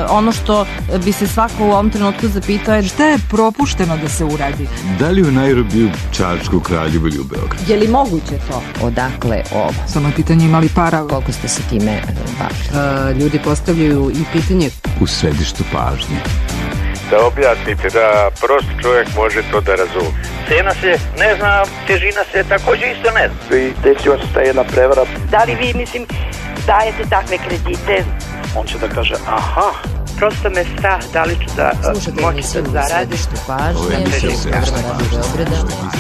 ono što bi se svako u ovom trenutku zapitao je šta je propušteno da se uradi? Da li u Nairobiju, Čačku, Kraljevu ili u Beogradu? Je li moguće to? Odakle ovo? Samo je pitanje imali para. Koliko ste se time bavili? Ljudi postavljaju i pitanje U središtu pažnje. Da objasnite, da prost čovjek može to da razumije. Cena se ne zna, težina se također isto ne zna. I desila se ta jedna prevara. Da li vi, dajete takve kredite? On će da kaže, aha. Prosto me strah, da li ću da moći da zaradim.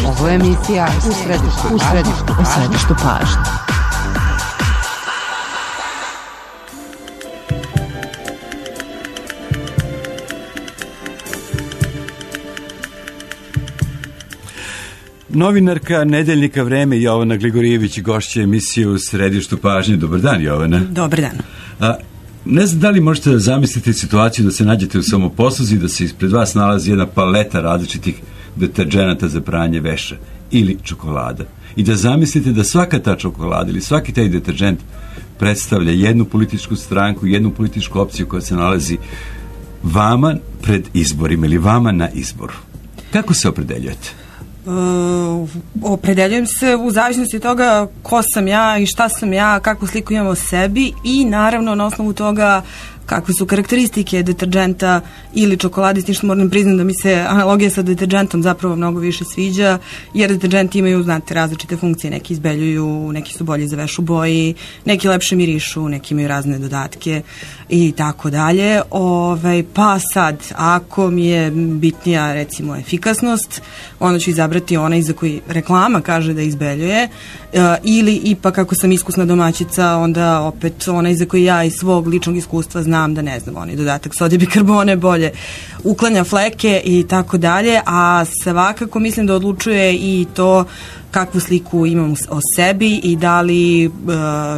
Ovo je emisija U središtu pažnje. Novinarka Nedeljnika Vreme Jovana Gligorijević, gošća emisije U središtu pažnje. Dobar dan, Jovana. Dobar dan. Ne znam da li možete da zamisliti situaciju da se nađete u samoposluzi, da se ispred vas nalazi jedna paleta različitih deterdženata za pranje veša ili čokolada i da zamislite da svaka ta čokolada ili svaki taj deterdžent predstavlja jednu političku stranku, jednu političku opciju koja se nalazi vama pred izborima ili vama na izboru. Kako se opredeljujete? Opredeljujem se u zavisnosti od toga ko sam ja i šta sam ja, kakvu sliku imam o sebi i naravno na osnovu toga kakve su karakteristike deterdženta ili čokolade, s tim što moram priznati da mi se analogija sa deterdžentom zapravo mnogo više sviđa, jer deterdženti imaju, znate, različite funkcije, neki izbeljuju, neki su bolji za veš u boji, neki lepše mirišu, neki imaju razne dodatke i tako dalje. Pa sad, ako mi je bitnija recimo efikasnost, onda ću izabrati onaj za koji reklama kaže da izbeljuje, ili ipak ako sam iskusna domaćica, onda opet onaj za koji ja iz svog ličnog iskustva znam da, ne znam, onaj dodatak sodijobikarbone bolje uklanja fleke i tako dalje, a svakako mislim da odlučuje i to kakvu sliku imam o sebi i da li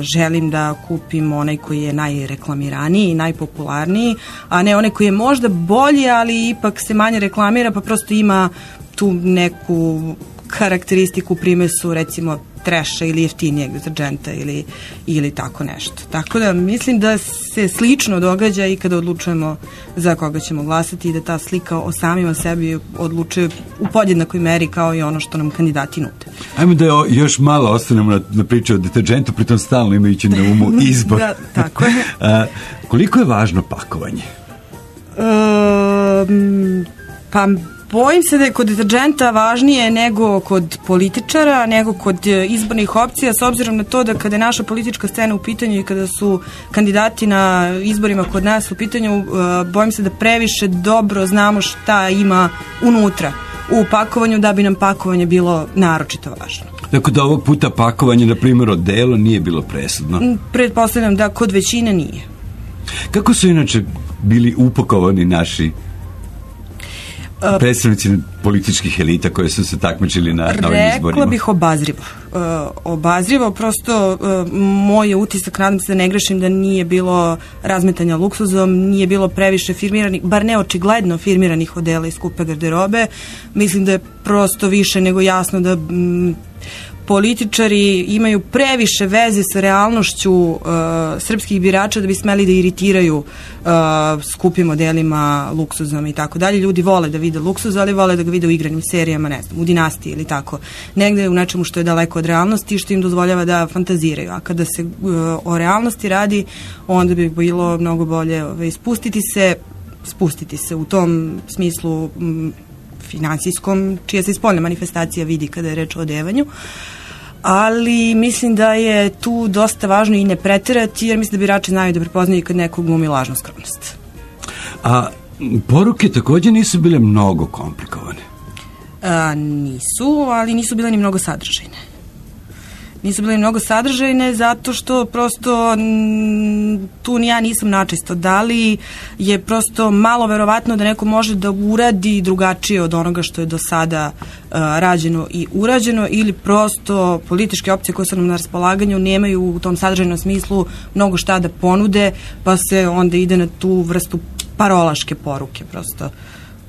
želim da kupim onaj koji je najreklamiraniji i najpopularniji, a ne onaj koji je možda bolji, ali ipak se manje reklamira, pa prosto ima tu neku karakteristiku, primesu recimo treša ili jeftinijeg deterdženta ili tako nešto. Tako da mislim da se slično događa i kada odlučujemo za koga ćemo glasati i da ta slika o samima sebi odlučuje u podjednakoj meri kao i ono što nam kandidati nude. Ajmo da još malo ostanemo na priču o deterdžentu, pritom stalno imajući na umu izbor. Da, tako je. Koliko je važno pakovanje? Pa bojim se da je kod deterdženta važnije nego kod političara, nego kod izbornih opcija, s obzirom na to da kada je naša politička scena u pitanju i kada su kandidati na izborima kod nas u pitanju, bojim se da previše dobro znamo šta ima unutra u pakovanju da bi nam pakovanje bilo naročito važno. Tako da ovog puta pakovanje, na primjer, odelo nije bilo presudno? Pretpostavljam da kod većine nije. Kako su inače bili upakovani naši predstavnici političkih elita koje su se takmičili na ovim izborima? Rekla bih obazrivo. Obazrivo, prosto moj je utisak, nadam se da ne grešim, da nije bilo razmetanja luksuzom, nije bilo previše firmiranih, bar ne očigledno firmiranih odela i skupe garderobe. Mislim da je prosto više nego jasno da političari imaju previše veze sa realnošću srpskih birača da bi smeli da iritiraju skupim modelima, luksuzom i tako dalje. Ljudi vole da vide luksuz, ali vole da ga vide u igranim serijama, ne znam, u Dinastiji ili tako. Negde u nečemu što je daleko od realnosti i što im dozvoljava da fantaziraju. A kada se o realnosti radi, onda bi bilo mnogo bolje spustiti se u tom smislu finansijskom, čija se spoljna manifestacija vidi kada je reč o odevanju. Ali mislim da je tu dosta važno i ne preterati, jer mislim da birači znaju da prepoznaju kad neko glumi lažnu skromnost. A poruke također nisu bile mnogo komplikovane? Nisu, ali nisu bile ni mnogo sadržajne. Nisu bile mnogo sadržajne zato što prosto tu ni ja nisam načisto. Da li je prosto malo verovatno da neko može da uradi drugačije od onoga što je do sada rađeno i urađeno, ili prosto političke opcije koje su nam na raspolaganju nemaju u tom sadržajnom smislu mnogo šta da ponude, pa se onda ide na tu vrstu parolaške poruke prosto,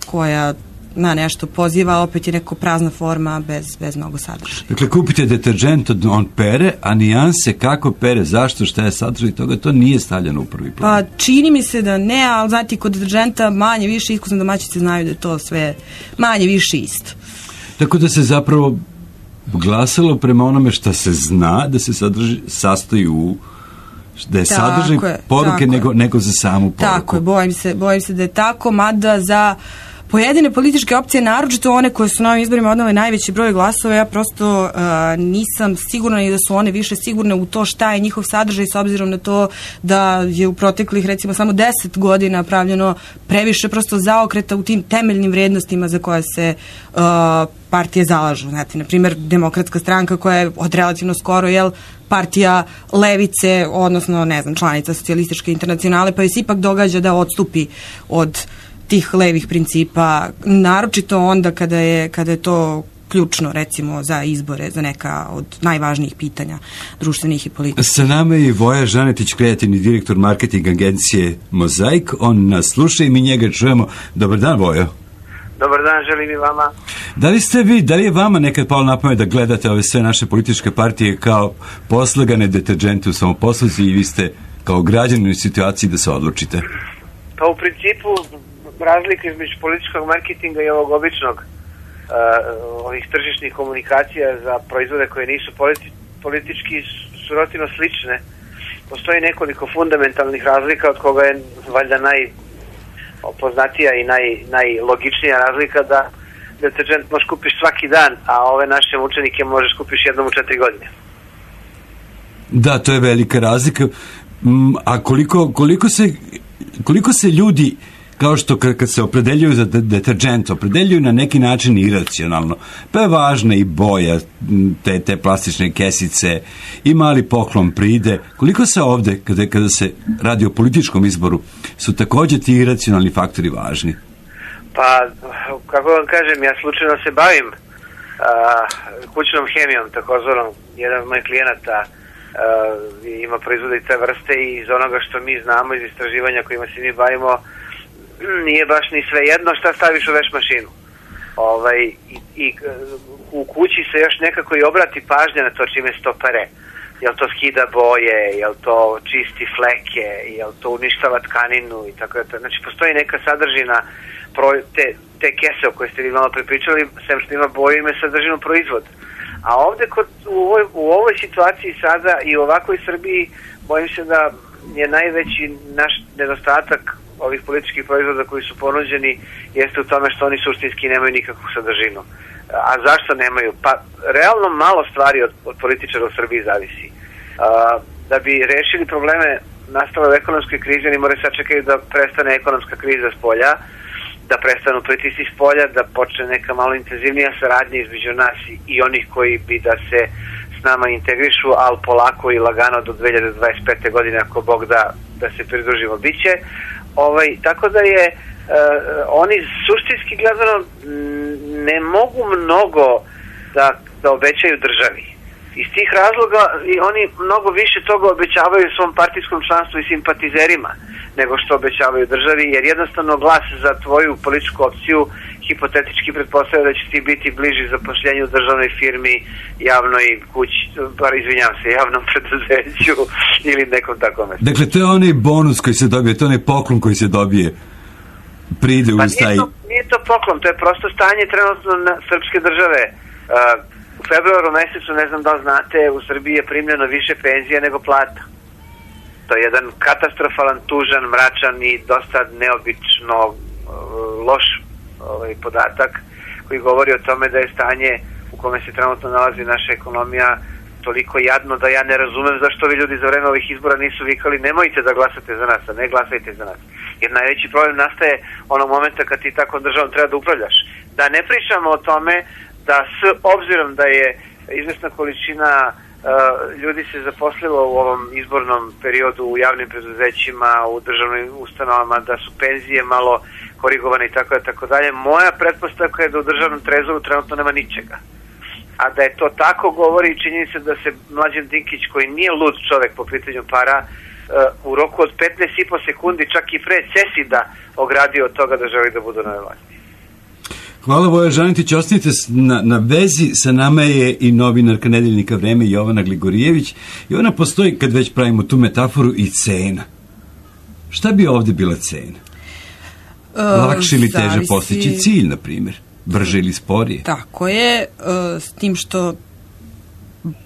koja na nešto poziva, opet je neko prazna forma bez mnogo sadržaja. Dakle, kupite deterđent, on pere, a nijanse kako pere, zašto, šta je sadržaj toga, to nije stavljeno u prvi plan. Pa čini mi se da ne, ali znati kod deterđenta manje više iskusne domaćice znaju da je to sve manje više isto. Tako da se zapravo glasalo prema onome što se zna da se sastoji u da je sadržaj poruke nego za samu poruku. Tako je, bojim se da je tako, mada za pojedine političke opcije, naročito one koje su na ovim izborima odnale najveći broj glasova, ja prosto nisam sigurna i da su one više sigurne u to šta je njihov sadržaj, s obzirom na to da je u proteklih recimo samo 10 godina pravljeno previše prosto zaokreta u tim temeljnim vrednostima za koje se partije zalažu. Znate, na primjer, Demokratska stranka koja je od relativno skoro, partija levice, odnosno, ne znam, članica Socijalističke internacionale, pa joj se ipak događa da odstupi od tih levih principa, naročito onda kada je to ključno, recimo, za izbore, za neka od najvažnijih pitanja društvenih i političkih. Sa nama je Voja Žanetić, kreativni direktor marketing agencije Mozaik. On nas sluša i mi njega čujemo. Dobar dan, Vojo. Dobar dan, želim i vama. Da li je vama nekad palo na pamet da gledate ove sve naše političke partije kao poslagane deterđente u samoposluzi i vi ste kao građanin u situaciji da se odlučite? Pa u principu razlika između političkog marketinga i ovog običnog ovih tržišnih komunikacija za proizvode koje nisu politički su relativno slične. Postoji nekoliko fundamentalnih razlika, od koga je valjda najpoznatija i najlogičnija razlika da deterđent možeš kupiš svaki dan, a ove naše mučenike možeš kupiš jednom u 4 godine. Da, to je velika razlika. A koliko se ljudi, kao što kad se opredeljuju za deterđent, opredeljuju na neki način iracionalno, pa je važna i boja te plastične kesice i mali poklon pride, koliko se ovde, kada se radi o političkom izboru, su također ti iracionalni faktori važni? Pa, kako vam kažem, ja slučajno se bavim kućnom hemijom, takozvanom. Jedan od mojih klijenata ima proizvode i te vrste i iz onoga što mi znamo, iz istraživanja kojima se mi bavimo, nije baš ni sve jedno šta staviš u veš mašinu. I u kući se još nekako i obrati pažnja na to čime se to pere. Jel to skida boje, jel to čisti fleke, jel to uništava tkaninu i tako da. Znači, postoji neka sadržina te kese o kojoj ste vi malo prepričali, sem što ima boju, ima sadržinu proizvod. A ovde u ovoj situaciji sada i u ovakvoj Srbiji bojim se da je najveći naš nedostatak ovih političkih proizvoda koji su ponuđeni jeste u tome što oni suštinski nemaju nikakvu sadržinu. A zašto nemaju? Pa realno malo stvari od političara u Srbiji zavisi. Da bi rešili probleme nastale u ekonomskoj krizi, oni moraju sačekati da prestane ekonomska kriza s polja, da prestanu pritisci s polja, da počne neka malo intenzivnija saradnja između nas i onih koji bi da se s nama integrišu, ali polako i lagano do 2025. godine, ako Bog da se pridružimo, biće. Tako da je oni suštinski gledano ne mogu mnogo da obećaju državi. Iz tih razloga oni mnogo više toga obećavaju svom partijskom članstvu i simpatizerima nego što obećavaju državi, jer jednostavno glas za tvoju političku opciju hipotetički pretpostavlja da će ti biti bliži zapošljenju u državnoj firmi, javnoj kući, javnom preduzeću ili nekom takvom mestu. Dakle, to je onaj bonus koji se dobije, to je onaj poklon koji se dobije pride u staji. Nije to poklon, to je prosto stanje trenutno na srpske države. U februaru mesecu, ne znam da li znate, u Srbiji je primljeno više penzija nego plata. To je jedan katastrofalan, tužan, mračan i dosta neobično loš podatak koji govori o tome da je stanje u kome se trenutno nalazi naša ekonomija toliko jadno da ja ne razumem zašto vi ljudi za vreme ovih izbora nisu vikali nemojte da glasate za nas, a ne glasajte za nas. Jer najveći problem nastaje onog momenta kad ti takvom državom treba da upravljaš. Da ne pričamo o tome da s obzirom da je izvesna količina ljudi se zaposlilo u ovom izbornom periodu u javnim preduzećima, u državnim ustanovama, da su penzije malo korigovane i tako dalje. Moja pretpostavka je da u državnom trezoru trenutno nema ničega. A da je to tako govori činjenica da se Mlađan Dinkić, koji nije lud čovek po pitanju para, u roku od 15,5 sekundi, čak i pre CESID-a, ogradio od toga da želi da budu na vlasti. Hvala Voja Žanetić, ostanite na vezi, sa nama je i novinarka Nedeljnika Vreme Jovana Gligorijević i ona postoji, kad već pravimo tu metaforu, i cena. Šta bi ovde bila cena? Lakše ili teže postići cilj, na primjer? Brže ili sporije? Tako je, s tim što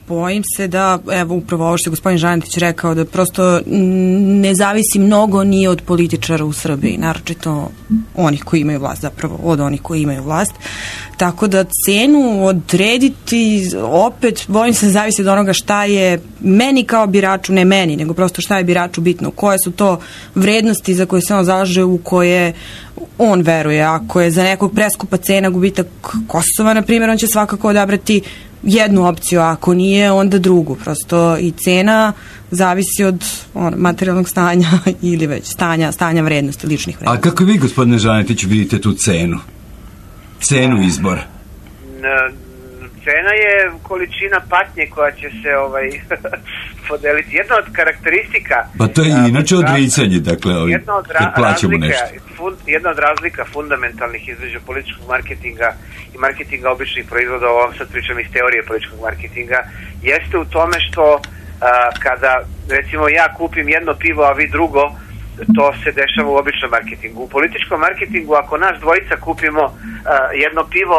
bojim se da, evo upravo ovo što je gospodin Žanetić rekao, da prosto ne zavisi mnogo ni od političara u Srbiji, naročito onih koji imaju vlast, zapravo od onih koji imaju vlast. Tako da cenu odrediti, opet bojim se, zavisi od onoga šta je meni kao biraču, ne meni, nego prosto šta je biraču bitno, koje su to vrednosti za koje se on zalaže, u koje on veruje. Ako je za nekog preskupa cena gubitak Kosova, na primjer, on će svakako odabrati jednu opciju, a ako nije, onda drugu. Prosto i cena zavisi od materijalnog stanja ili već stanja vrednosti, ličnih vrednosti. A kako vi, gospodine Žanetić, vidite tu cenu? Cenu izbora? Cena je količina patnje koja će se podeliti. Jedna od karakteristika... Pa to je inače odricanje, dakle, kad plaćamo nešto. Jedna od razlika fundamentalnih između političkog marketinga i marketinga običnih proizvoda, ovo sad pričam iz teorije političkog marketinga, jeste u tome što kada, recimo, ja kupim jedno pivo, a vi drugo, to se dešava u običnom marketingu. U političkom marketingu, ako nas dvojica kupimo jedno pivo,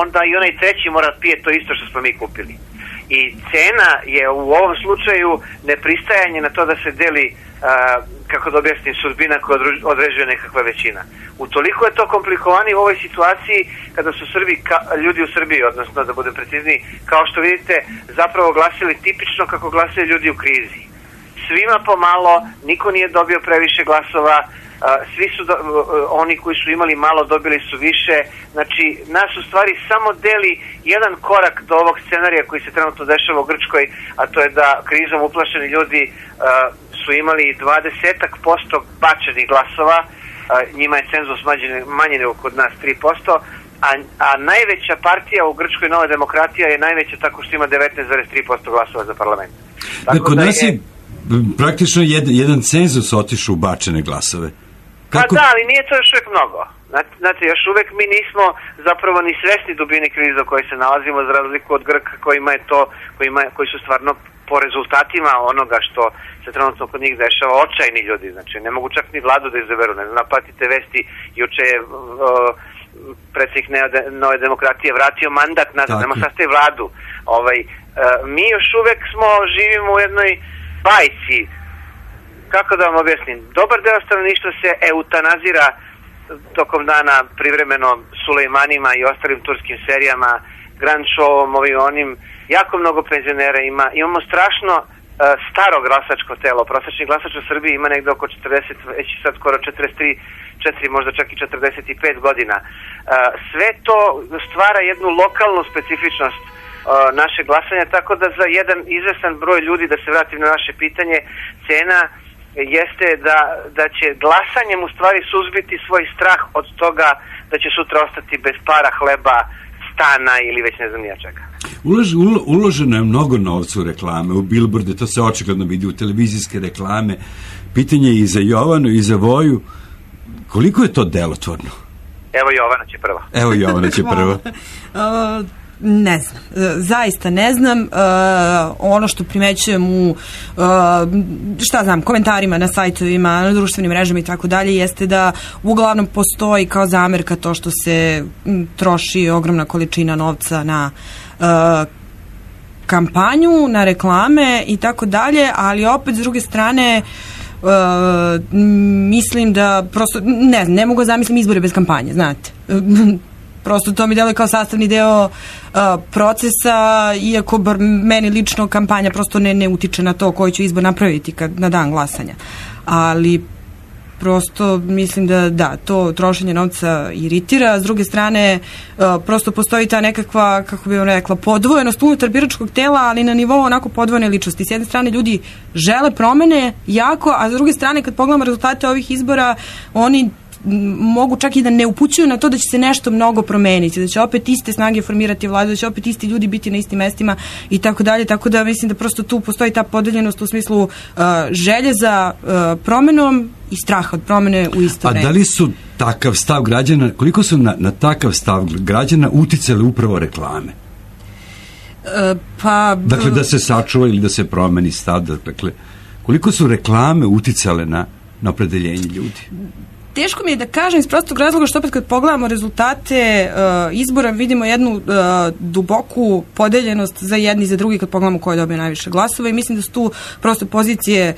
onda i onaj treći mora pije to isto što smo mi kupili. I cena je u ovom slučaju nepristajanje na to da se deli, kako da objasnim, sudbina koja određuje nekakva većina. Utoliko je to komplikovani u ovoj situaciji kada su ljudi u Srbiji, odnosno da budem precizniji, kao što vidite, zapravo glasili tipično kako glasaju ljudi u krizi. Svima pomalo, niko nije dobio previše glasova, svi su oni koji su imali malo dobili su više. Znači, nas u stvari samo deli jedan korak do ovog scenarija koji se trenutno dešava u Grčkoj, a to je da krizom uplašeni ljudi su imali 20% bačenih glasova, njima je cenzus manji nego kod nas 3%, a najveća partija u Grčkoj, Nova demokratija, je najveća tako što ima 19,3% glasova za parlament. Kod nas je praktično jedan cenzus otišao u bačene glasove. Pa da, ali nije to još uvijek mnogo. Znate, još uvijek mi nismo zapravo ni svesni dubine krize u kojoj se nalazimo, za razliku od Grka koji su stvarno po rezultatima onoga što se trenutno kod njih dešava očajni ljudi. Znači, ne mogu čak ni vladu da izaberu. Ne znam, patite vesti, juče je predsjednik Nove demokratije vratio mandat nazad, nema sastavi vladu. Mi još uvijek živimo u jednoj bajci. Kako da vam objasnim? Dobar deo stanovništva se eutanazira tokom dana privremeno Sulejmanima i ostalim turskim serijama, Grand Showom, onim, jako mnogo penzionera ima. Imamo strašno staro glasačko telo. Prosječni glasač u Srbiji ima negde oko 40, već sad skoro 44, možda čak i 45 godina. Sve to stvara jednu lokalnu specifičnost naše glasanja, tako da za jedan izvestan broj ljudi, da se vratim na naše pitanje, cena jeste da će glasanjem u stvari suzbiti svoj strah od toga da će sutra ostati bez para, hleba, stana ili već ne znam nija čega. Uloženo je mnogo novca u reklame, u bilborde, to se očigledno vidi, u televizijske reklame. Pitanje je i za Jovanu i za Voju, koliko je to delotvorno? Evo Jovana će prva. Ne znam, zaista ne znam. Ono što primećujem u komentarima na sajtovima, na društvenim mrežama i tako dalje, jeste da uglavnom postoji kao zamerka to što se troši ogromna količina novca na kampanju, na reklame i tako dalje, ali opet s druge strane mislim da prosto ne mogu zamisliti izbore bez kampanje, znate. Prosto to mi deluje kao sastavni deo procesa, iako bar meni lično kampanja prosto ne utiče na to koji ću izbor napraviti na dan glasanja. Ali prosto mislim da to trošenje novca iritira. S druge strane, prosto postoji ta nekakva, kako bih vam rekla, podvojenost unutar biračkog tela, ali na nivou onako podvojene ličnosti. S jedne strane ljudi žele promene jako, a s druge strane kad pogledamo rezultate ovih izbora, oni mogu čak i da ne upućuju na to da će se nešto mnogo promeniti, da će opet iste snage formirati vladu, da će opet isti ljudi biti na istim mestima i tako dalje, tako da mislim da prosto tu postoji ta podeljenost u smislu želje za promenom i straha od promene u isto vreme. A da li su takav stav građana, koliko su na takav stav građana uticale upravo reklame? Dakle, da se sačuva ili da se promeni stav, dakle, koliko su reklame uticale na opredeljenje ljudi? Teško mi je da kažem iz prostog razloga što opet kad pogledamo rezultate izbora vidimo jednu duboku podeljenost za jedni i za drugi kad pogledamo ko je dobio najviše glasova i mislim da su tu prosto pozicije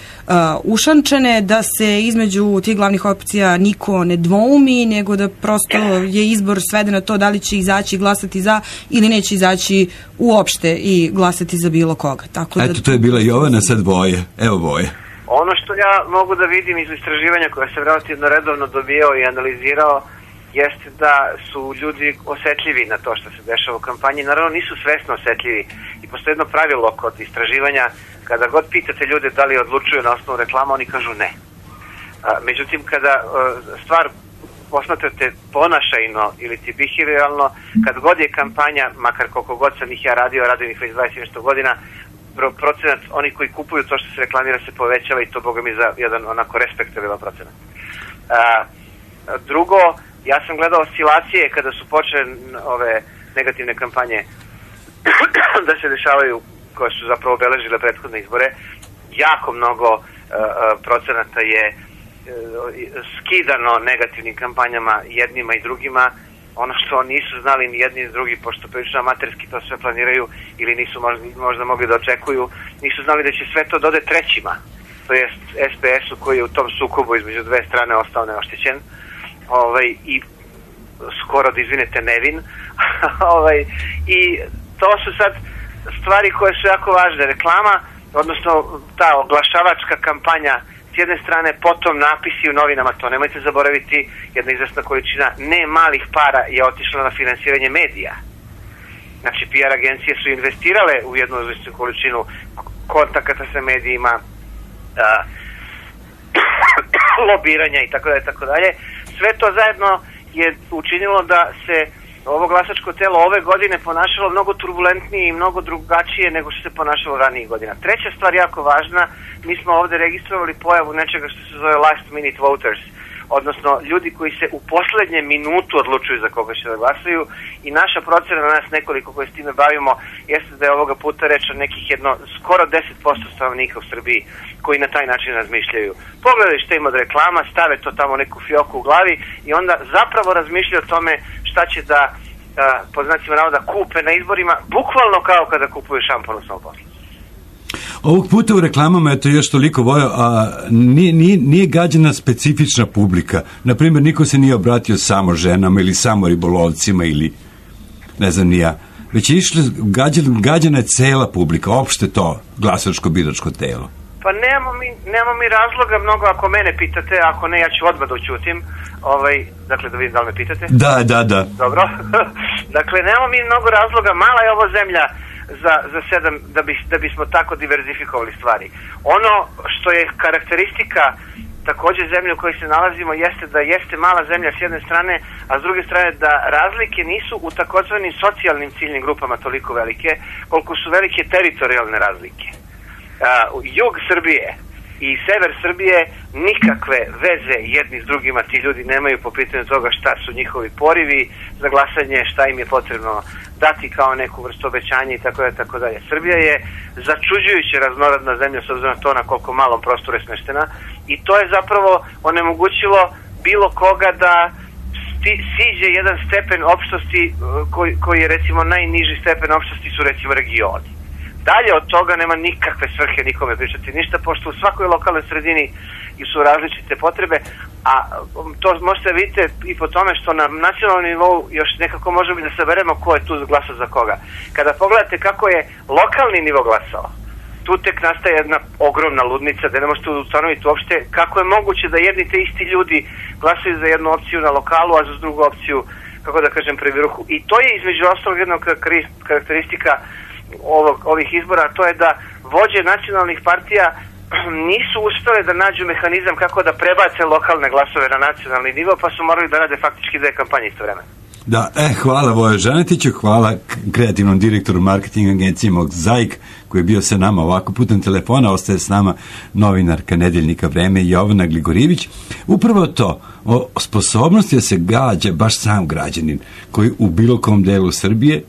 ušančene, da se između tih glavnih opcija niko ne dvoumi, nego da prosto je izbor sveden na to da li će izaći glasati za ili neće izaći uopšte i glasati za bilo koga. Tako da... Eto, to je bila Jovana, sad Voje. Evo Voje. Ono što ja mogu da vidim iz istraživanja koje sam relativno redovno dobijao i analizirao jeste da su ljudi osetljivi na to što se dešava u kampanji. Naravno nisu svesno osetljivi i postoji jedno pravilo kod istraživanja, kada god pitate ljude da li odlučuju na osnovu reklama, oni kažu ne. Međutim, kada stvar posmatrate ponašajno ili ti behavioralno, kad god je kampanja, makar koliko god sam ih ja radio, radim ih već 20 nešto godina, procenat oni koji kupuju to što se reklamira se povećava i to boga mi za jedan onako respektabilan procenat. Drugo, ja sam gledao oscilacije kada su počele ove negativne kampanje da se dešavaju, koje su zapravo obeležile prethodne izbore. Jako mnogo procenata je skidano negativnim kampanjama jednima i drugima. Ono što nisu znali ni jedni ni drugi, pošto prilično amaterski to sve planiraju ili nisu možda mogli da očekuju, nisu znali da će sve to dode trećima, to jest SPS-u koji je u tom sukobu između dve strane ostao neoštećen i skoro da izvinete nevin. I to su sad stvari koje su jako važne. Reklama, odnosno ta oglašavačka kampanja s jedne strane, potom napisi u novinama, to nemojte zaboraviti, jedna izvesna količina ne malih para je otišla na finansiranje medija. Znači, PR agencije su investirale u jednu izvesnu količinu kontakata sa medijima, lobiranja i tako dalje. Sve to zajedno je učinilo da se ovo glasačko telo ove godine ponašalo mnogo turbulentnije i mnogo drugačije nego što se ponašalo ranijih godina. Treća stvar jako važna, mi smo ovde registrovali pojavu nečega što se zove last minute voters, odnosno ljudi koji se u poslednje minutu odlučuju za koga će da glasaju i naša procena na nas nekoliko koji s time bavimo jeste da je ovoga puta reč o nekih skoro 10% stanovnika u Srbiji koji na taj način razmišljaju. Pogledaju šta ima od reklama, stave to tamo neku fioku u glavi i onda zapravo razmišljaju o tome šta će da, po znacima navoda, kupe na izborima, bukvalno kao kada kupuju šampon u svom poslu. Ovog puta u reklamama je to još toliko Vojo, a nije gađana specifična publika. Naprimjer, niko se nije obratio samo ženama ili samo ribolovcima ili ne znam ni ja. Već je išlo, gađana je cela publika, opšte to glasačko-biračko telo. Pa nemamo mi razloga mnogo, ako mene pitate, ako ne, ja ću odmah da ućutim. Dakle, da vidim da li me pitate. Da. Dobro. Dakle, nemamo mi mnogo razloga, mala je ovo zemlja za 7 da bismo tako diverzifikovali stvari. Ono što je karakteristika takođe zemlje u kojoj se nalazimo jeste da jeste mala zemlja s jedne strane, a s druge strane da razlike nisu u takozvanim socijalnim ciljnim grupama toliko velike, koliko su velike teritorijalne razlike. Jug Srbije i sever Srbije nikakve veze jedni s drugima ti ljudi nemaju po pitanju toga šta su njihovi porivi za glasanje, šta im je potrebno dati kao neku vrstu obećanja i tako dalje. Srbija je začuđujuće raznorodna zemlja s obzirom na to na koliko malom prostoru je smeštena i to je zapravo onemogućilo bilo koga da siđe jedan stepen opštosti koji je recimo najniži stepen opštosti su recimo regioni. Dalje od toga nema nikakve svrhe nikome pričati ništa, pošto u svakoj lokalnoj sredini su različite potrebe, a to možete vidite i po tome što na nacionalnom nivou još nekako možemo da saberemo ko je tu glasao za koga. Kada pogledate kako je lokalni nivo glasao, tu tek nastaje jedna ogromna ludnica da ne možete ustanoviti uopšte kako je moguće da jedni te isti ljudi glasaju za jednu opciju na lokalu, a za drugu opciju, kako da kažem, pri vrhu. I to je između ostalog jedna karakteristika ovih izbora, to je da vođe nacionalnih partija nisu uspele da nađu mehanizam kako da prebace lokalne glasove na nacionalni nivo, pa su morali da rade faktički dve kampanje isto vremena. Da, hvala Vojo Žanetiću, hvala kreativnom direktoru marketing agencije Mozaik, koji je bio sa nama ovako putem telefona. Ostaje s nama novinarka Nedeljnika Vreme Jovana Gligorijević. Upravo to, o sposobnosti da se gađa baš sam građanin koji u bilo kom delu Srbije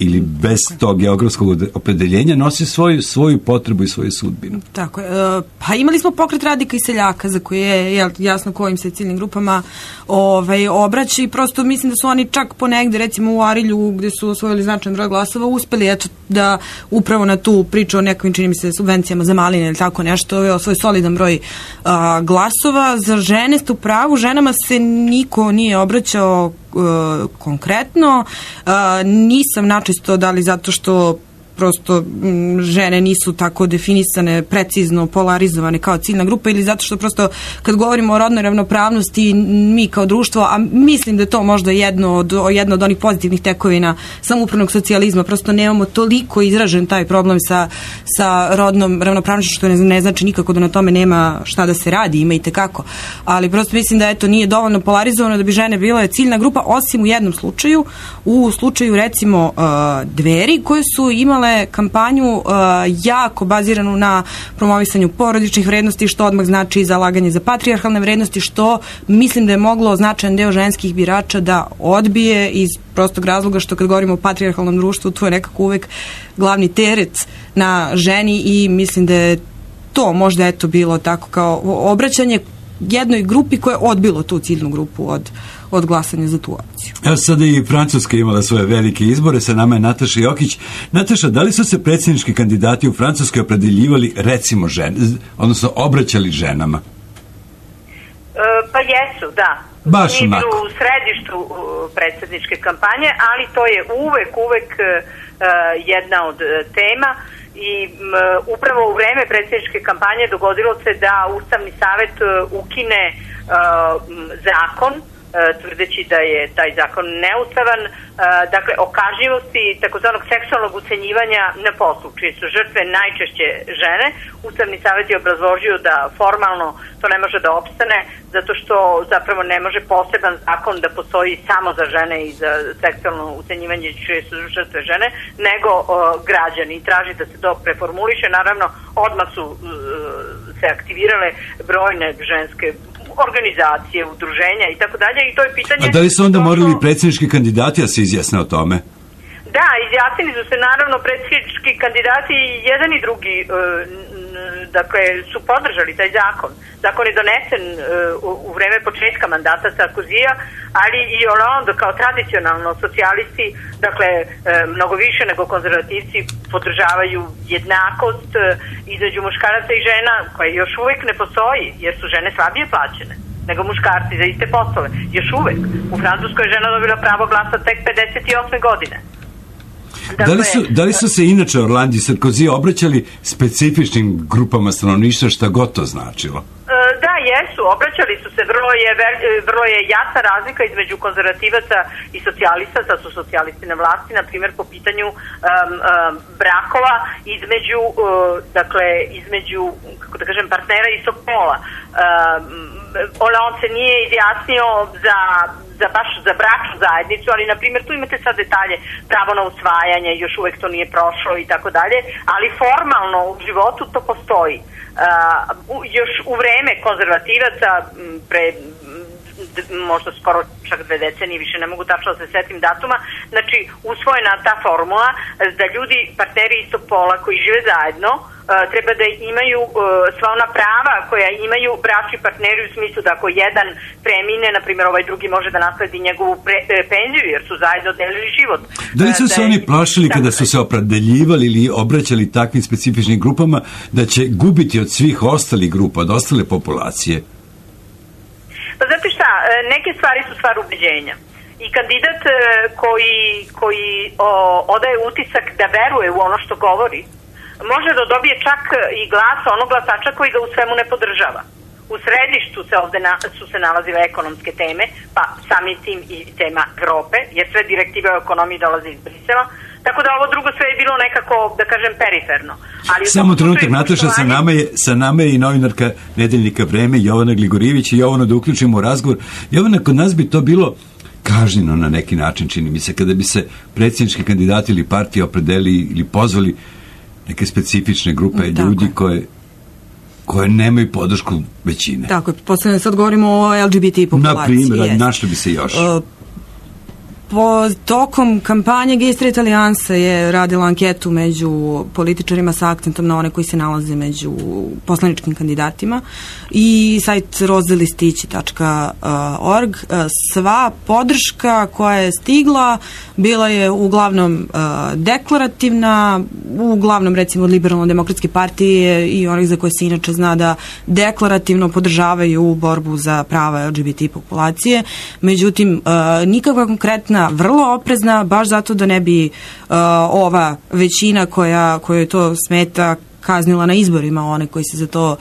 ili bez tog geografskog opredeljenja nosi svoju potrebu i svoju sudbinu. Tako je. Pa imali smo pokret radnika i seljaka za koje je jasno kojim se ciljnim grupama obraća i prosto mislim da su oni čak ponegde, recimo u Arilju gde su osvojili značajan broj glasova, uspeli da upravo na tu priču o nekim, čini mi se, subvencijama za maline ili tako nešto, osvoji solidan broj glasova. Za žene ste u pravu, ženama se niko nije obraćao konkretno. Nisam načisto da li zato što prosto žene nisu tako definisane, precizno polarizovane kao ciljna grupa ili zato što prosto kad govorimo o rodnoj ravnopravnosti mi kao društvo, a mislim da je to možda jedno od onih pozitivnih tekovina samoupravnog socijalizma, prosto nemamo toliko izražen taj problem sa rodnom ravnopravnošću, što ne znači nikako da na tome nema šta da se radi, ima i tekako, ali prosto mislim da nije dovoljno polarizovano da bi žene bile ciljna grupa, osim u jednom slučaju, u slučaju recimo Dveri, koje su imale kampanju jako baziranu na promovisanju porodičnih vrednosti, što odmah znači zalaganje za patrijarhalne vrednosti, što mislim da je moglo značajan deo ženskih birača da odbije iz prostog razloga što kad govorimo o patrijarhalnom društvu, to je nekako uvek glavni teret na ženi i mislim da je to možda bilo tako kao obraćanje jednoj grupi koja je odbilo tu ciljnu grupu od glasanja za tu opciju. Evo sada i Francuska imala svoje velike izbore, sa nama je Nataša Jokić. Nataša, da li su se predsjednički kandidati u Francuskoj opredeljivali recimo odnosno obraćali ženama? Pa jesu, da. Baš nije bilo u središtu predsjedničke kampanje, ali to je uvek jedna od tema i upravo u vreme predsjedničke kampanje dogodilo se da Ustavni savet ukine zakon, tvrdeći da je taj zakon neustavan, dakle o kažnjivosti takozvanog seksualnog ucenjivanja na poslu, čije su žrtve najčešće žene. Ustavni savjet je obrazložio da formalno to ne može da opstane, zato što zapravo ne može poseban zakon da postoji samo za žene i za seksualno ucenjivanje čije su žrtve žene, nego građani, i traži da se to preformuliše. Naravno, odmah su se aktivirale brojne ženske organizacije, udruženja i tako dalje, i to je pitanje... A da li su onda morali predsjednički kandidati da se izjasne o tome? Da, izjasnili su se naravno predsjednički kandidati, jedan i drugi dakle, su podržali taj zakon. Zakon je donesen u vreme početka mandata Sarkozija, ali i Hollande kao tradicionalno socijalisti, dakle, mnogo više nego konzervativci podržavaju jednakost između muškaraca i žena, koja još uvijek ne postoji, jer su žene slabije plaćene nego muškarci za iste poslove. Još uvijek. U Francuskoj je žena dobila pravo glasa tek 58. godine. Dakle, da li su se inače Hollande i Sarkozy obraćali specifičnim grupama stanovništva, šta god to značilo? Da, jesu, obraćali su se, vrlo je jasna razlika između konzervativaca i socijalista, sad su socijalisti na vlasti, na primjer po pitanju brakova između, kako da kažem, partnera istog pola. Hollande se nije izjasnio za bračnu zajednicu, ali na primjer tu imate sad detalje, pravo na usvajanje, još uvek to nije prošlo i tako dalje, ali formalno u životu to postoji. Još u vreme konzervativaca, pre možda skoro čak 2 decenije, više ne mogu tačno da se setim datuma, znači usvojena ta formula da ljudi, partneri istog pola koji žive zajedno, treba da imaju sva ona prava koja imaju bračni partneri, u smislu da ako jedan premine, na primjer ovaj drugi može da nasledi njegovu penziju, jer su zajedno delili život. Da li su se oni plašili kada su se opredeljivali ili obraćali takvim specifičnim grupama da će gubiti od svih ostalih grupa, od ostale populacije? Pa znate šta, neke stvari su stvar ubeđenja. I kandidat koji odaje utisak da veruje u ono što govori, može da dobije čak i glas onog glasača koji ga u svemu ne podržava. U središtu su se nalazile ekonomske teme, pa samim tim i tema Evrope, jer sve direktive o ekonomiji dolaze iz Brisela. Tako da ovo drugo sve je bilo nekako, da kažem, periferno. Ali samo trenutak, Nataša, sa nama je i novinarka Nedeljnika Vreme, Jovana Gligorijević, i Jovana, da uključimo u razgovor. Jovana, kod nas bi to bilo kažnjeno na neki način, čini mi se, kada bi se predsjednički kandidati ili partije opredeli ili pozvali neke specifične grupe ljudi koje nemaju podršku većine. Tako je, posledno sad govorimo o LGBT populaciji. Na primjer, našlo bi se još. Tokom kampanje Gay Straight Alijansa je radila anketu među političarima sa akcentom na one koji se nalaze među poslaničkim kandidatima i sajt rozelistići.org. Sva podrška koja je stigla bila je uglavnom deklarativna, uglavnom recimo od Liberalno-demokratske partije i onih za koje se inače zna da deklarativno podržavaju borbu za prava LGBT populacije. Međutim, nikakva konkretna, vrlo oprezna, baš zato da ne bi ova većina koja to smeta kaznila na izborima one koji se za to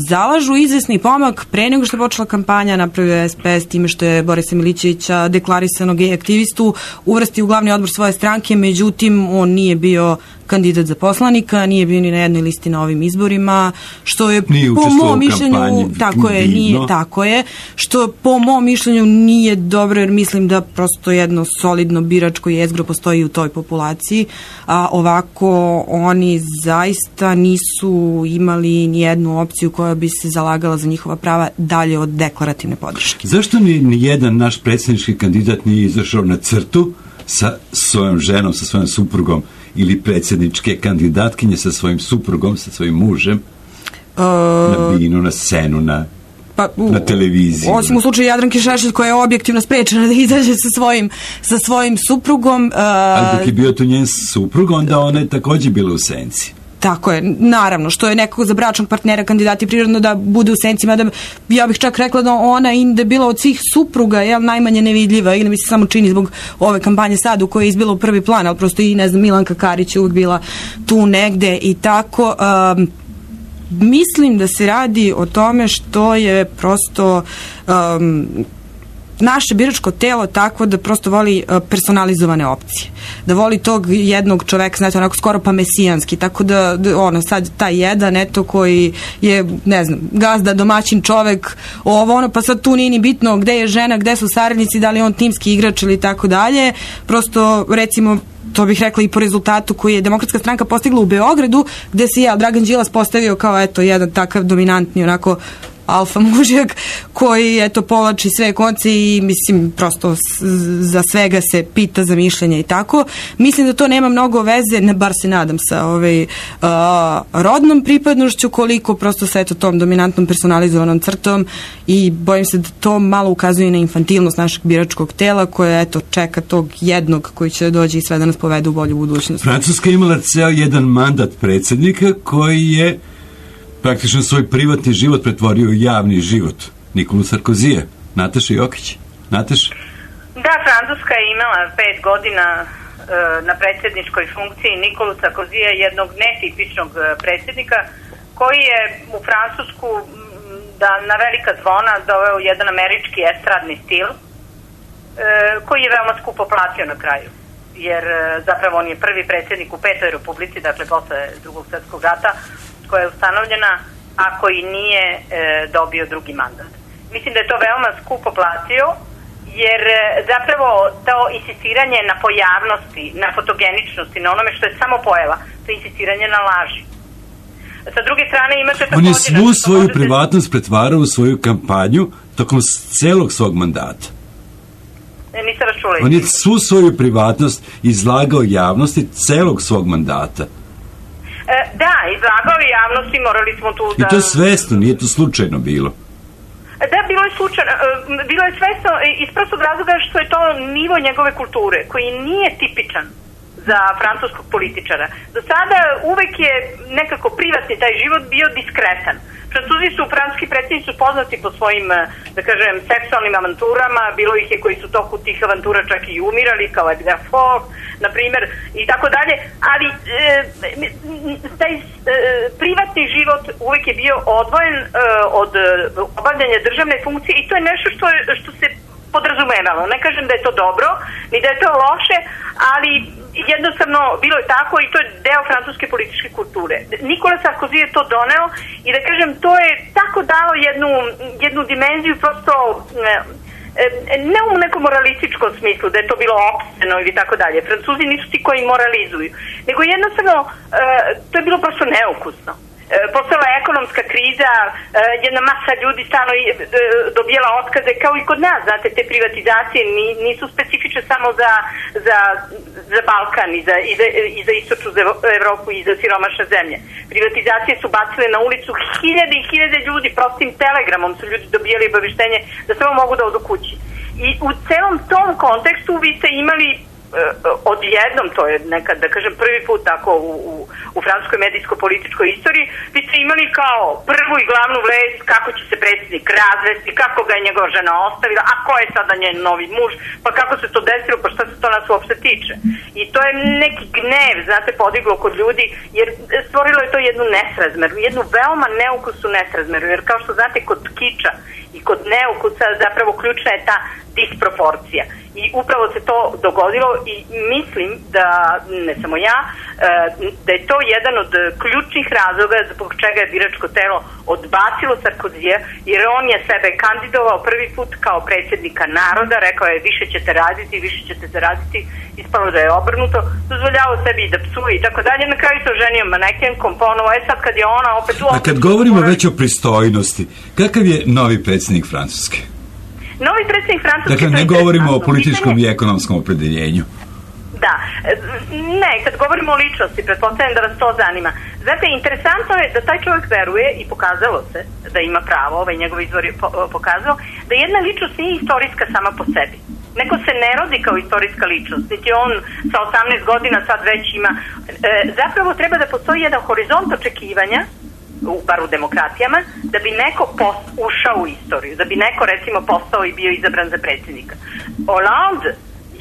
zalažu. Izvesni pomak pre nego što je počela kampanja napravio SPS time što je Borisa Milićevića, deklarisanog gej aktivistu, uvrsti u glavni odbor svoje stranke, međutim on nije bio kandidat za poslanika, nije bio ni na jednoj listi na ovim izborima, što je po mom mišljenju tako je, što po mom mišljenju nije dobro, jer mislim da prosto jedno solidno biračko jezgro postoji u toj populaciji, a ovako oni zaista nisu imali ni jednu opciju koja bi se zalagala za njihova prava dalje od deklarativne podrške. Zašto ni jedan naš predsjednički kandidat nije izašao na crtu sa svojom ženom, sa svojom suprugom, ili predsjedničke kandidatkinje sa svojim suprugom, sa svojim mužem, na binu, na scenu, na televiziji? Osim u slučaju Jadranke Šešelj, koja je objektivno sprečena da izađe sa svojim suprugom. Ali dok je bio to njen suprug, onda ona je također bila u senci. Tako je, naravno, što je nekako za bračnog partnera kandidati prirodno da bude u senci, mada ja bih čak rekla da ona i da je bila od svih supruga najmanje nevidljiva, ili mi se samo čini zbog ove kampanje sad u kojoj je izbila u prvi plan, ali prosto i, ne znam, Milanka Karić je uvijek bila tu negde i tako. Mislim da se radi o tome što je prosto naše biračko telo takvo da prosto voli personalizovane opcije. Da voli tog jednog čoveka, znate, onako skoro pa mesijanski, tako da sad taj jedan, koji je, ne znam, gazda, domaćin čovek, pa sad tu nije ni bitno gde je žena, gde su saradnici, da li je on timski igrač ili tako dalje. Prosto, recimo, to bih rekla i po rezultatu koji je Demokratska stranka postigla u Beogradu, gde se Dragan Đilas postavio kao, jedan takav dominantni, onako, alfa mužjak koji povlači sve konce i mislim prosto za svega se pita za mišljenje i tako. Mislim da to nema mnogo veze, bar se nadam, sa rodnom pripadnošću, koliko prosto sa tom dominantnom personalizovanom crtom, i bojim se da to malo ukazuje na infantilnost našeg biračkog tela koje čeka tog jednog koji će dođi i sve da nas povede u bolju budućnost. Francuska je imala ceo jedan mandat predsjednika koji je praktično svoj privatni život pretvorio u javni život. Nikolu Sarkozija. Nataša Jokić. Nataša? Da, Francuska je imala 5 godina na predsjedničkoj funkciji Nikolu Sarkozija, jednog netipičnog predsjednika, koji je u Francusku na velika zvona doveo jedan američki estradni stil, koji je veoma skupo platio na kraju. Jer zapravo on je prvi predsjednik u 5. republici, dakle posle Drugog svjetskog rata, koja je ustanovljena, a koji nije dobio drugi mandat. Mislim da je to veoma skupo platio, jer zapravo to insistiranje na pojavnosti, na fotogeničnosti, na onome što je samo pojava, to je insistiranje na laži. Sa druge strane imate također... On je svu svoju privatnost pretvarao u svoju kampanju tokom celog svog mandata. Nisam račula. On je svu svoju privatnost izlagao javnosti celog svog mandata. Da, izlagao je javnosti, morali smo tu da... I to je svesno, nije to slučajno bilo. Da, bilo je svesno iz prostog razloga što je to nivo njegove kulture, koji nije tipičan za francuskog političara. Do sada uvek je nekako privatni taj život bio diskretan. Francuski predsjednici su poznati po svojim, da kažem, seksualnim avanturama, bilo ih je koji su toku tih avantura čak i umirali, kao Edgar Faure, na primjer, i tako dalje, ali taj privatni život uvek je bio odvojen od obavljanja državne funkcije, i to je nešto što se podrazumevalo. Ne kažem da je to dobro, ni da je to loše, ali jednostavno bilo je tako i to je deo francuske političke kulture. Nikola Sarkozy je to doneo i da kažem, to je tako dalo jednu dimenziju prosto ne u nekom moralističkom smislu da je to bilo opseno ili tako dalje. Francuzi nisu ti koji moralizuju, nego jednostavno to je bilo prosto neukusno. Postala je ekonomska kriza, jedna masa ljudi stalno dobijala otkaze, kao i kod nas, znate, te privatizacije nisu specifične samo za Balkan i za istočnu Evropu i za siromašne zemlje. Privatizacije su bacile na ulicu hiljade i hiljade ljudi, prostim telegramom su ljudi dobijali obaveštenje da samo mogu da odu kući. I u celom tom kontekstu vi ste imali odjednom, to je nekad, da kažem, prvi put tako u francuskoj medijsko-političkoj istoriji, vi ste imali kao prvu i glavnu vest kako će se predsjednik razvesti, kako ga je njegova žena ostavila, a ko je sada njen novi muž, pa kako se to desilo, pa šta se to nas uopšte tiče. I to je neki gnev, znate, podiglo kod ljudi, jer stvorilo je to jednu nesrazmeru, jednu veoma neukusnu nesrazmeru, jer kao što znate, kod kiča i kod neukusa zapravo ključna je ta disproporcija. I upravo se to dogodilo i mislim da, ne samo ja, da je to jedan od ključnih razloga zbog čega je biračko telo odbacilo Sarkozija, jer on je sebe kandidovao prvi put kao predsjednika naroda, rekao je više ćete raditi, više ćete zaraditi, ispalo da je obrnuto, dozvoljavao sebi da psuje i tako dalje, na kraju se oženio manekenkom, ponovo, sad kad je ona opet u... A kad govorimo već o pristojnosti, kakav je novi predsjednik Francuske? Novi predsjednik Francuske... Dakle, ne govorimo o političkom i ekonomskom opredeljenju. Da, ne, kad govorimo o ličnosti, pretpostavljam da vas to zanima. Znate, interesantno je da taj čovjek veruje i pokazalo se da ima pravo, njegov izvor je pokazao, da jedna ličnost nije istorijska sama po sebi. Neko se ne rodi kao istorijska ličnost, niti on sa 18 godina sad već ima. Zapravo treba da postoji jedan horizont očekivanja, bar u demokratijama, da bi neko ušao u istoriju, da bi neko recimo postao i bio izabran za predsjednika. Hollande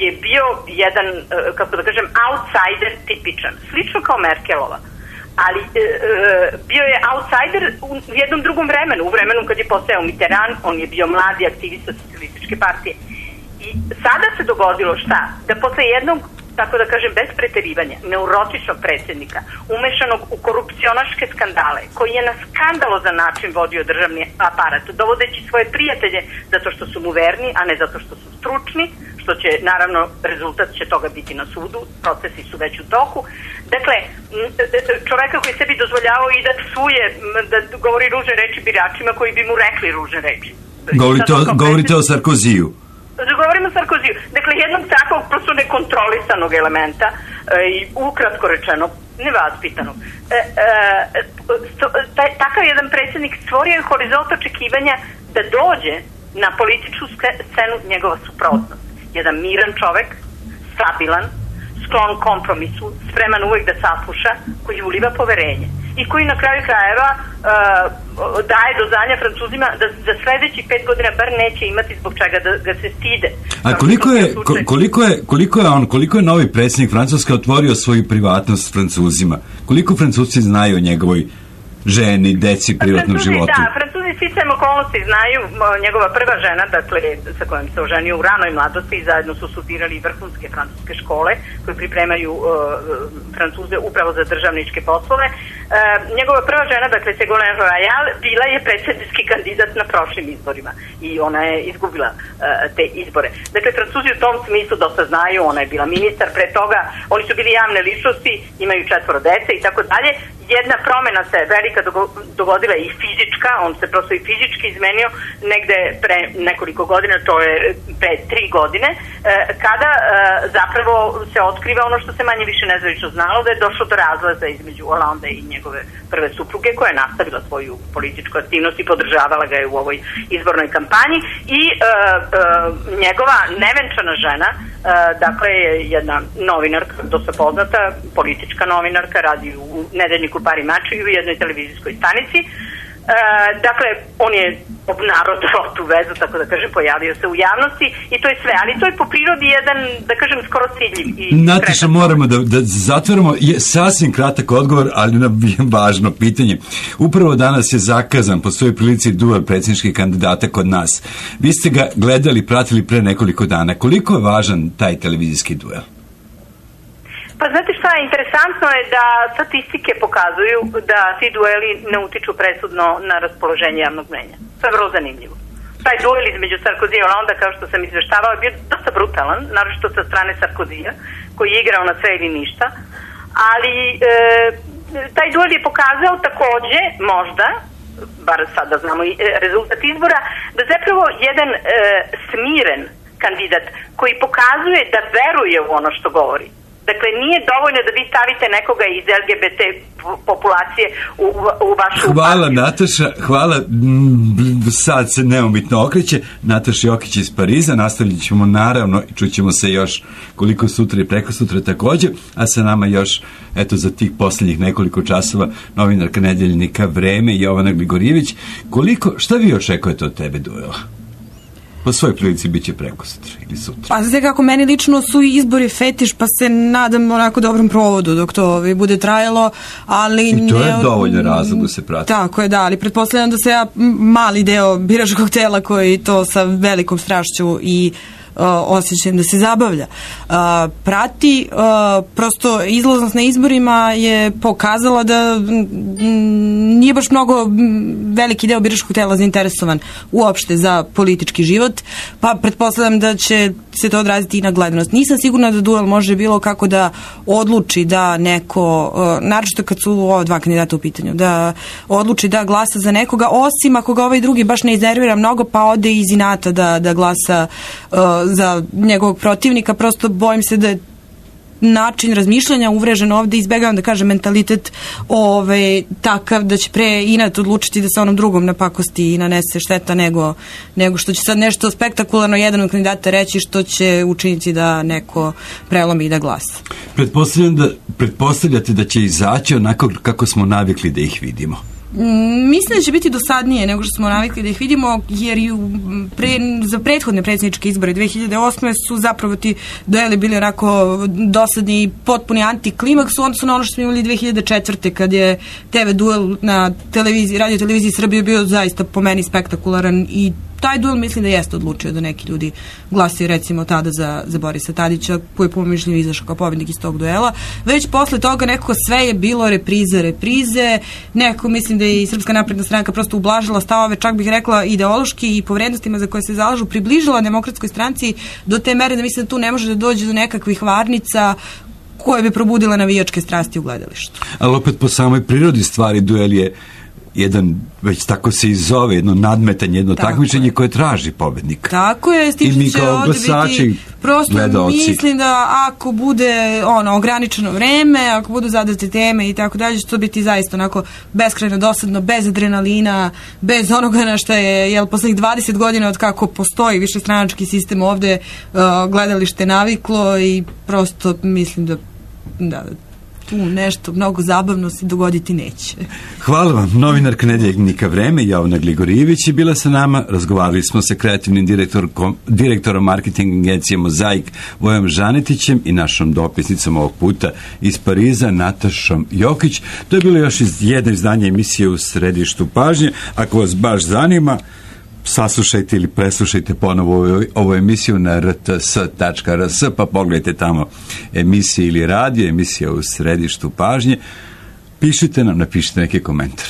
je bio jedan, kako da kažem, outsider tipičan, slično kao Merkelova, ali bio je outsider u jednom drugom vremenu, u vremenu kad je postojao Mitterrand, on je bio mladi aktivista socijalističke partije. I sada se dogodilo šta? Da posle jednog, tako da kažem, bez preterivanja, neurotičnog predsjednika, umešanog u korupcionaške skandale, koji je na skandalozan način vodio državni aparat, dovodeći svoje prijatelje zato što su mu verni, a ne zato što su stručni, što će, naravno, rezultat će toga biti na sudu, procesi su već u toku. Dakle, čoveka koji sebi dozvoljavao i da psuje, da govori ružne reči biračima koji bi mu rekli ružne reči. Govorite o Sarkoziju. Govorimo o Sarkoziju. Dakle, jednog takvog prosto nekontrolisanog elementa i ukratko rečeno, nevaspitanog. Takav jedan predsjednik stvorio je horizont očekivanja da dođe na političku scenu njegova suprotnost. Jedan miran čovek, stabilan, sklon kompromisu, spreman uvek da sasluša, koji uliva poverenje i koji na kraju krajeva daje do znanja Francuzima da za sledećih 5 godina bar neće imati zbog čega da ga se stide. A koliko je novi predsjednik Francuske otvorio svoju privatnost Francuzima? Koliko Francuzci znaju o njegovoj ženi, deci, privatnom životu? Da, Francuzi sticajem okolnosti znaju, njegova prva žena, dakle, sa kojom se oženio u ranoj mladosti i zajedno su studirali vrhunske francuske škole koje pripremaju Francuze upravo za državničke poslove. Njegova prva žena, dakle, Ségolène Royal, bila je predsjednički kandidat na prošlim izborima i ona je izgubila te izbore. Dakle, Francuzi u tom smislu dosta znaju, ona je bila ministar pre toga, oni su bili javne ličnosti, imaju 4 dece i tako dalje. Jedna promena se velika dogodila i fizička, on se prosto i fizički izmenio negde pre nekoliko godina, to je pre 3 godine, kada zapravo se otkriva ono što se manje više nezvanično znalo, da je došlo do razlaza između Hollande i njegove prve supruge, koja je nastavila svoju političku aktivnost i podržavala ga je u ovoj izbornoj kampanji i njegova nevenčana žena, dakle je jedna novinarka, dosta poznata, politička novinarka, radi u nedeljniku Pari Mači i u jednoj televizijskoj stanici. Dakle, on je obnarodovao tu vezu, tako da kažem, pojavio se u javnosti i to je sve, ali to je po prirodi jedan, da kažem, skoro ciljiv. Nataša, moramo da zatvorimo, sasvim kratak odgovor, ali na važno pitanje. Upravo danas je zakazan po svojoj prilici duel predsjedničkih kandidata kod nas. Vi ste ga gledali, pratili pre nekoliko dana. Koliko je važan taj televizijski duel? Pa znate šta, interesantno je da statistike pokazuju da ti dueli ne utiču presudno na raspoloženje javnog mnjenja. To je vrlo zanimljivo. Taj duel između Sarkozija i Holanda, kao što sam izveštavao, je bio dosta brutalan, naročito sa strane Sarkozija, koji je igrao na sve ili ništa, ali taj duel je pokazao takođe, možda, bar sada znamo i rezultat izbora, da zapravo jedan smiren kandidat koji pokazuje da veruje u ono što govori. Dakle, nije dovoljno da vi stavite nekoga iz LGBT populacije u vašu Hvala partiju. Nataša, hvala. Sad se neumitno okreće. Nataša Jokić iz Pariza. Nastavljat ćemo naravno i čućemo se još koliko sutra i preko sutra takođe, a sa nama još eto za tih poslednjih nekoliko časova novinarka Nedeljnika Vreme Jovana Gligorijević. Šta vi očekujete od tebe duela? Po svojoj prilici bit će preko sutra ili sutra. Pa znate kako, meni lično su izbori fetiš, pa se nadam onako dobrom provodu dok to bude trajalo, ali... I to je dovoljno razlog da se prati. Tako je, da, ali pretpostavljam da se ja mali deo biračkog tela koji to sa velikom strašću i osjećajem da se zabavlja prati. Prosto izlaznost na izborima je pokazala da nije baš mnogo veliki deo biračkog tela zainteresovan uopšte za politički život, pa pretpostavljam da će se to odraziti i na gledanost. Nisam sigurna da duel može bilo kako da odluči da neko, naročito kad su ova dva kandidata u pitanju, da odluči da glasa za nekoga, osim ako ga ovaj drugi baš ne iznervira mnogo, pa ode iz inata da glasa za njegovog protivnika. Prosto bojim se da je način razmišljanja uvrežen ovde, izbegavam da kažem mentalitet takav da će pre inat odlučiti da se onom drugom napakosti i nanese šteta nego što će sad nešto spektakularno jedan od kandidata reći što će učiniti da neko prelomi i da glasa. Pretpostavljate da će izaći onako kako smo navikli da ih vidimo? Mislim da će biti dosadnije nego što smo navikli da ih vidimo, jer za prethodne predsjedničke izbore 2008. su zapravo ti dueli bili onako dosadni i potpuni antiklimaks u odnosu na ono što smo imali 2004. kad je TV duel na radio televiziji Srbije bio zaista po meni spektakularan i taj duel mislim da jeste odlučio da neki ljudi glasaju recimo tada za Borisa Tadića, koji je po mišljenju izašao kao pobednik iz tog duela. Već posle toga nekako sve je bilo reprize, nekako mislim da je i Srpska napredna stranka prosto ublažila stavove, čak bih rekla ideološki i po vrednostima za koje se zalažu, približila Demokratskoj stranci do te mere da mislim da tu ne može da dođe do nekakvih varnica koje bi probudile navijačke strasti u gledalištu. Ali opet po samoj prirodi stvari duel je jedan, već tako se i zove, jedno nadmetanje, jedno takmičenje koje traži pobednika. Tako je, s tim što će ovdje biti, prosto mislim da ako bude ograničeno vreme, ako budu zadate teme i tako dalje, će to biti zaista onako beskrajno dosadno, bez adrenalina, bez onoga na što je poslednjih 20 godina od kako postoji višestranački sistem ovde gledalište naviklo i prosto mislim da tu nešto mnogo zabavno se dogoditi neće. Hvala vam. Novinarka Nedeljnika Vreme Jovana Gligorijević je bila sa nama. Razgovarali smo sa kreativnim direktorom marketing agencije Mozaik Vojom Žanetićem i našom dopisnicom ovog puta iz Pariza Natašom Jokić. To je bilo još jedno izdanje emisije U središtu pažnje. Ako vas baš zanima, saslušajte ili preslušajte ponovo ovu emisiju na rts.rs, pa pogledajte tamo emisije ili radio, emisija U središtu pažnje. Pišite nam, napišite neki komentar.